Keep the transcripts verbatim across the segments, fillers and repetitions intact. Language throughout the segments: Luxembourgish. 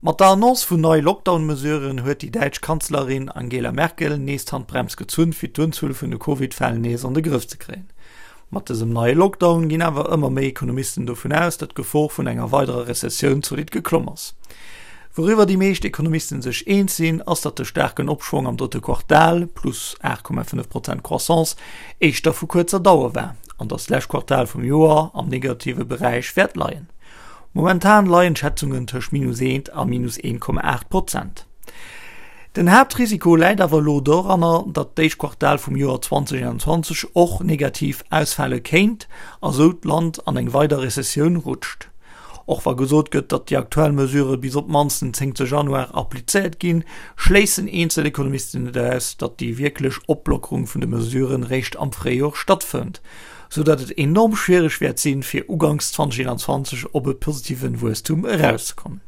Mat der Annonce vun neie Lockdown-Mesuren huet déi däitsch Kanzlerin Angela Merkel nees d'Handbrems gezunn, fir d'Unzuel vun de Covid-Fäll nees an de Grëff ze kréien. Mat dësem neie Lockdown ginn awer ëmmer méi Ekonomisten dovun aus, datt d'Gefor vun enger weiderer Rezessioun zolidd geklomm ass. Wouriwwer déi meescht Ekonomisten sech eens sinn, ass, datt de staarken Opschwong am drëtte Quartal, plus aacht Komma fënnef Prozent Croissance, éischter vu kuerzer Dauer war an datt d'lescht Quartal vum Joer am negative Beräich wäert leien. Momentan leien d'Schätzungen tëscht minus eent a minus eent Komma aacht Prozent. Den Haaptrisiko läit awer elo doranner, datt d'éischt Quartal vum Joer zweitausendeinundzwanzeg och negativ ausfale kéint a sou d'Land an eng weider Rezessioun rutscht. Och wa gesot gëtt, datt déi aktuell Mesurë bis op d'mannst den zéngte Januar applizéiert ginn, schléissen eenzel Ekonomisten net aus, datt déi wierklech Oplockerung vun de Mesuren réischt am Fréijor stattfënnt, sou datt et enorm schwiereg wäert sinn, fir uganks zweitausendeinundzwanzeg op e positiven Wuesstum erauszekommen.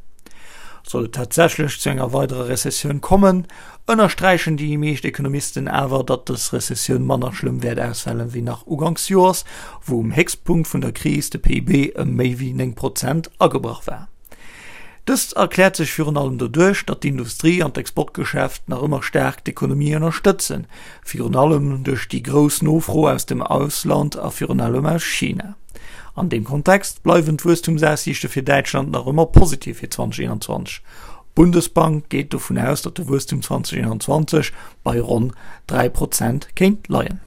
Sollt et tatsächlech zu enger weiderer Rezessioun kommen, ënnersträichen déi meescht Ekonomisten awer, datt dës Rezessioun manner schlëmm wäert ausfalen wéi nach uganks Joers, wou um Héchstpunkt vun der Kris de P I B ëm méi wéi néng Prozent agebrach war. Dëst erkläert sech virun allem doduerch, datt d'Industrie an d'Exportgeschäft nach ëmmer staark d'Ekonomie ënnerstëtzen, virun allem duerch déi grouss Nofro aus dem Ausland a virun allem aus China. An deem Kontext bleiwen d'Wuesstumsaussiichte fir Däitschland nach ëmmer positiv fir zweitausendeinundzwanzeg. D'Bundesbank geet dovun aus, datt de Wuesstum zweitausendeinundzwanzeg bei ronn dräi Prozent kéint leien.